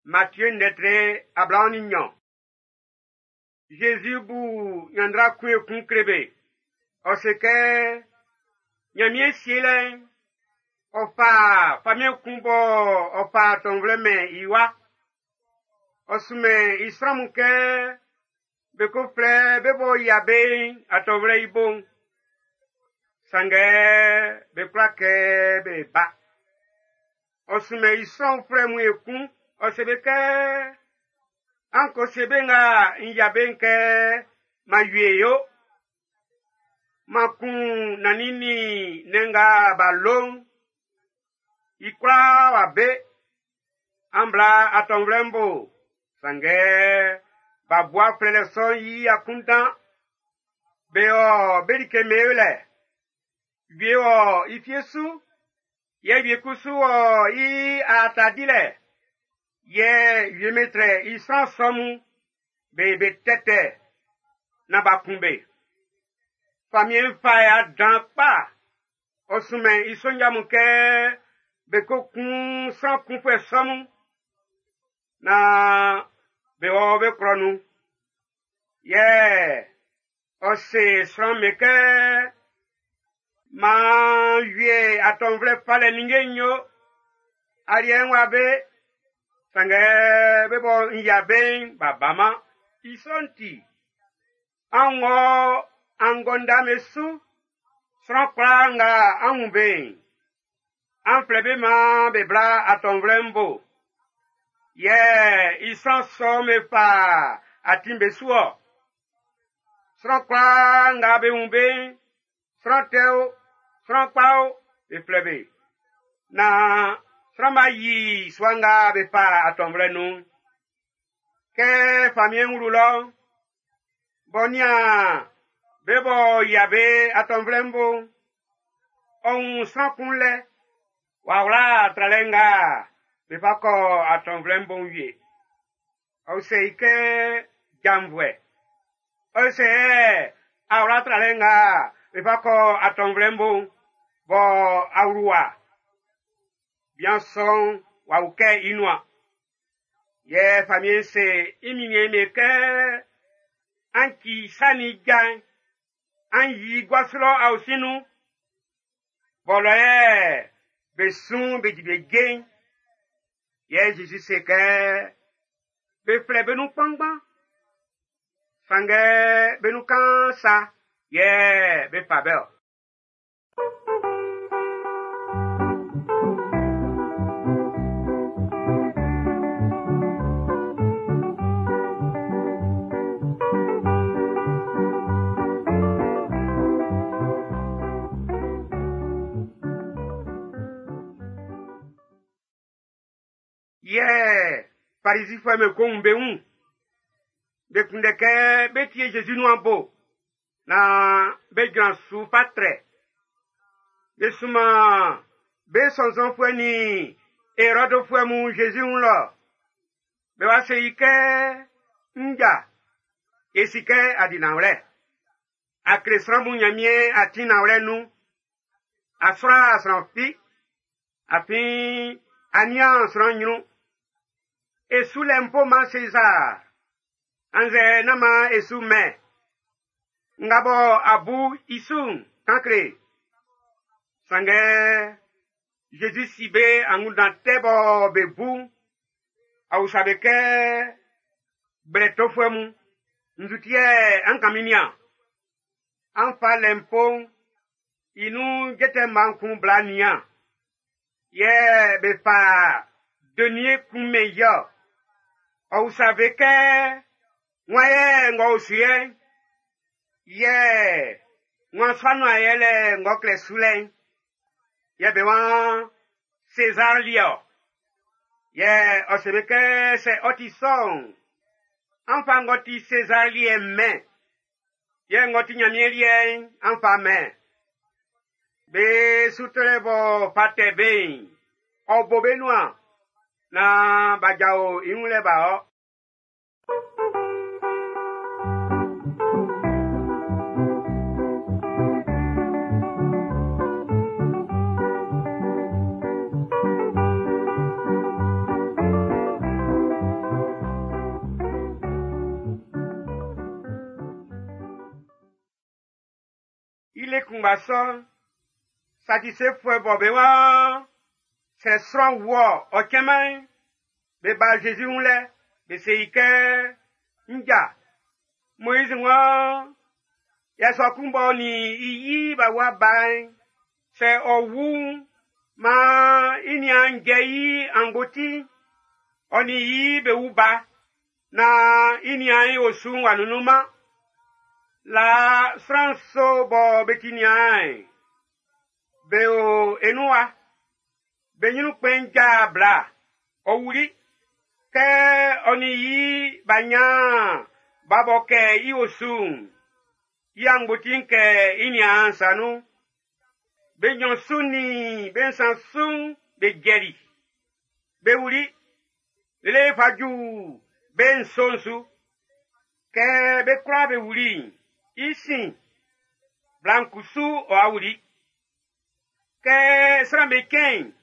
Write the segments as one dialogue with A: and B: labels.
A: Matthieu ndɛtre 22. Jésus bu ɲanndra kun ekun kle be. Ɔ se kɛ Ɲanmiɛn sielɛ'n, ɔ fa famiɛn kun bɔ ɔ fa atɔnvlɛ mɛn i wa. Ɔ sunmɛn i sran mun kɛ be ko flɛ be b'ɔ yia be'n atɔnvlɛ i bo'n. Sanngɛ be kwla kɛ be ba. Ɔ sunmɛn i sran uflɛ mun ekun, ɔ se be kɛ, an ko se be nga n yia be'n kɛ m'an wie yo. M'an kun nannin nin nnɛn nga b'a lo'n, i kwlaa w'a be. An bla atɔnvlɛ'n bo, sanngɛ b'a bua flɛlɛ sɔ'n i akunndan. Be ɔ be like mewlɛ. Wie wɔ i fie su, yɛ wie kusu wɔ i aata dilɛ. Yɛ wie metrɛ i sran sɔ mun, be be tɛtɛ na b'a kun be. Famiɛn'n fa ya dan kpa. Ɔ sunmɛn i sonja mun kɛ be ko kun sran kunfuɛ sɔ mun. Na be wɔ be klɔ nun. Yɛ ɔ se sran me kɛ maan wie atɔnvlɛ falɛ ninnge'n yo. Aliɛ'n wa be, sanngɛ be bɔ n yia be'n b'a baman. I sɔ'n ti, an wɔ angɔndame su, sran kwlaa nga an wun be'n, an flɛ be maan be bla atɔnvlɛ'n bo. Yɛ i sran sɔ'n be fa atin be su ɔ. Sran kwlaa nga be wun be'n, sran tɛ o, sran kpa o, be flɛ be. Na sran b'a yi sua nga be fa atɔnvlɛ nun'n. Kɛ famiɛn'n wlu lɔ'n, b'ɔ nian be b'ɔ yia be atɔnvlɛ'n bo'n, ɔ wun sran kun lɛ, w'a wla tralɛ nga be fa kɔ atɔnvlɛ'n bo'n wie. Ɔ se i kɛ janvuɛ. Ɔ se a wla tralɛ nga be fa kɔ atɔnvlɛ'n bo'n, bɔ awluwa. Bian sɔ'n w'a wukɛ i nuan. Yɛ famiɛn'n se i minniɛn'n be kɛ, an ci sa ni ja'n, an yi guasu lɔ aosin nun. Bɔlɔ yɛ be sun be di be je'n. Yɛ Jésus se kɛ, be flɛ be nun kpanngban. Sanngɛ be nun kaan sa yɛ be fa be ɔ. Yɛ Farizifɔ'm be ko wun be wun. Be kunndɛ kɛ be tie Jésus nuan bo, na be jran su fa trɛ. Be sunman be sɔnnzɔnfuɛ nin Erɔdfuɛ mun Jésus wun lɔ. Be wa se i kɛ, nja, e si kɛ a di nanwlɛ. A kle sran mun Ɲanmiɛn atin nanwlɛ nun. A sra sran fi. Afin a nian sran ɲrun. E su lɛ mpo man César. Annzɛ nán man e su mɛn. Nga bɔ a bu i su'n, kan kle. Sanngɛ Jésus si be angunndan tɛ bɔ be bu'n. A usa be kɛ gblɛ tofuɛ mun, nzu ti yɛ an kan min nian. An fa lɛ mpo'n, i nun jɛtɛ mma kun bla nian. Yɛ be fa denier kun mɛn i ɔ. Ɔ usa be kɛ, wan yɛ ng'ɔ o su yɛ? Yɛ wan sanu yɛlɛ ng'ɔ klɛ su lɛ'n? Yɛ be wan César liɛ ɔ. Yɛ ɔ se be kɛ sɛ ɔ ti sɔ'n, an fa ng'ɔ ti César liɛ'n mɛn. Yɛ ng'ɔ ti Ɲanmiɛn liɛ'n, an fa mɛn. Be sutrɛ bɔ fa tɛ be'n, ɔ bo be nuan, na b'a jao i wun lɛ b'a ɔ. Kunngba sɔ'n, Sadisefuɛ bɔ be waan sɛ sran wu-ɔ ɔ cɛnman'n, be ba Zezi wun lɛ, be se i kɛ, Nja, Moiz waan yasua kun b'ɔ nin i yi b'a wa ba'n, sɛ ɔ wu'n, maan i niaan'n jɛ i angboti'n, ɔ nin i be wu ba, naan i niaan'n i osu'n w'a nunnunman. Laa sran nso bɔ be ti niaan'n, be o e nun wa. Be ɲrun kpɛn'n ja bla, ɔ wuli. Kɛ ɔ nin i b'a ɲan ba bɔ kɛ i osu'n, i angboti'n kɛ i niaan'n sa nun. Be nɲɔn su nin be nsan su'n be jɛli. Be wuli lele fa ju be nso'n su. Kɛ be kwlaa be wuli'n, i sin, bla'n kusu ɔ'a wuli. Kɛ sran'm be cɛn'n,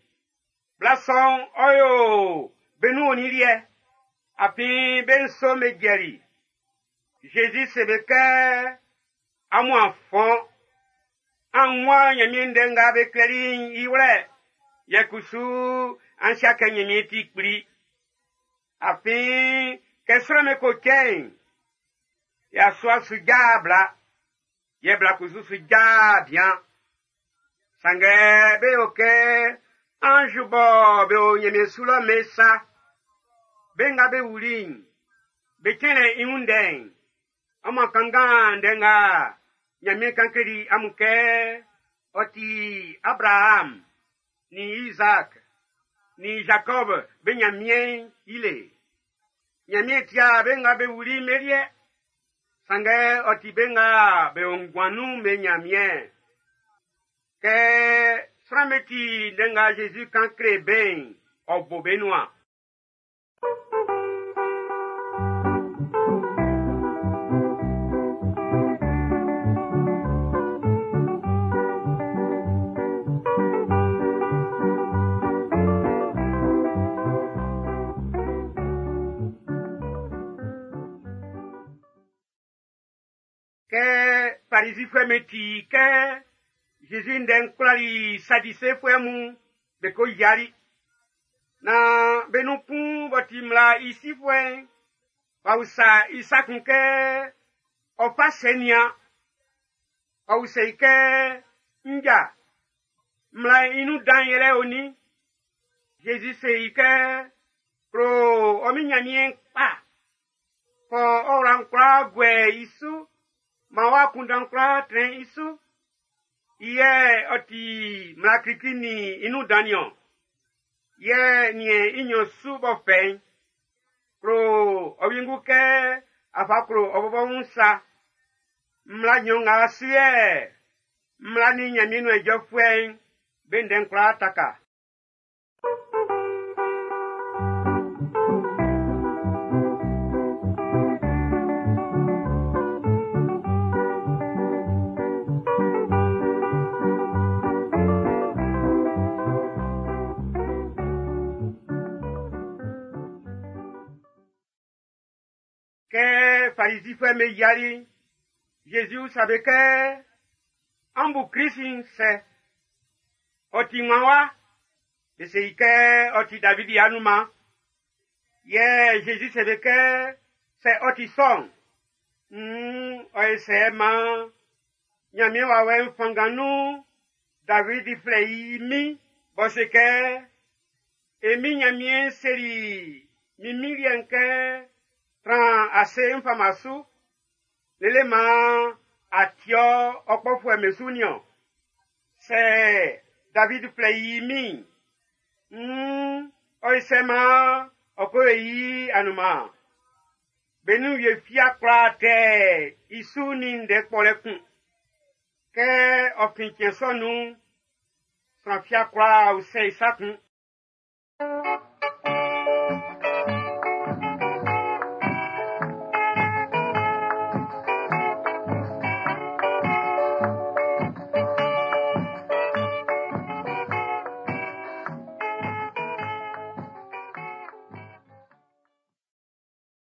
A: bla sɔ'n ɔ yo be nun onin liɛ, afin be nso'n be jɛli. Zezi se be kɛ, amun a fɔn. An wun Ɲanmiɛn ndɛ nga be klɛli'n i wlɛ, yɛ kusu an si'a kɛ Ɲanmiɛn ti kpli. Afin kɛ sran'm be ko cɛn'n, yasua su ja bla, yɛ bla kusu su ja bian. Sanngɛ be yo kɛ anz bɔ be o Ɲanmiɛn su lɔ be sa. Be nga be wuli'n, be cɛnlɛ i wun ndɛ'n, amun kanngan ndɛ nga Ɲanmiɛn kan kleli amun kɛ ɔ ti Abraham, nin Isaac, nin Jacob be Ɲanmiɛn'n i le. Ɲanmiɛn tia be nga be wuli'n be liɛ, sanngɛ ɔ ti be nga be o nguan nun'n be Ɲanmiɛn. Kɛ sran'm be ti ndɛ nga Zezi kan kle be'n, ɔ bo be nuan. Kɛ Farizifuɛ'm be ti kɛ Zezi ndɛ'n kwlali Sadisefuɛ mun, be ko yiali. Na be nun kun b'ɔ ti mmla i sifuɛ'n, w'a usa i sa kun kɛ ɔ fa sɛ nian. Ɔ usɛ i kɛ, Nja, mmla'n i nun dan yɛlɛ onin? Zezi se i kɛ, klo ɔ min Ɲanmiɛn kpa, fɔ ɔ wla'n kwlaa guɛ i su, maan w'a kunndɛn kwlaa trɛn i su. I yɛ ɔ ti mmla klikli nin i nun dan niɔn. Yɛ niɛn i nɲɔn su b'ɔ fɛ'n, klo ɔ wiengu kɛ a fa klo ɔ bɔbɔ wun sa. Mmla nɲɔn nga su yɛ mmla nin Ɲanmiɛn nuan ijɔfuɛ'n be ndɛ'n kwlaa taka. Kɛ Farizifuɛ'm be yiali'n, Zezi usa be kɛ, an bu Krist'n sɛ? Ɔ ti ŋman wa? Be se i kɛ ɔ ti Davidi anunman. Yɛ Zezi se be kɛ, sɛ ɔ ti sɔ'n, nn ɔ ye sɛ maan Ɲanmiɛn wawɛ'n fanngan nun Davidi flɛ i min b'ɔ se kɛ, e min Ɲanmiɛn seli min min liɛ'n kɛ, tran ase n fama su, lele maan a ti ɔ kpɔfuɛ'm be su niɔn. Sɛ David flɛ i min, nn ɔ ye sɛ maan ɔ ko yi anunman. Be nun wie fia kwla tɛ i su nin ndɛ kpɔlɛ kun. Kɛ ɔ fin cɛn sɔ nun'n, sran fia kwla usɛ i sa kun.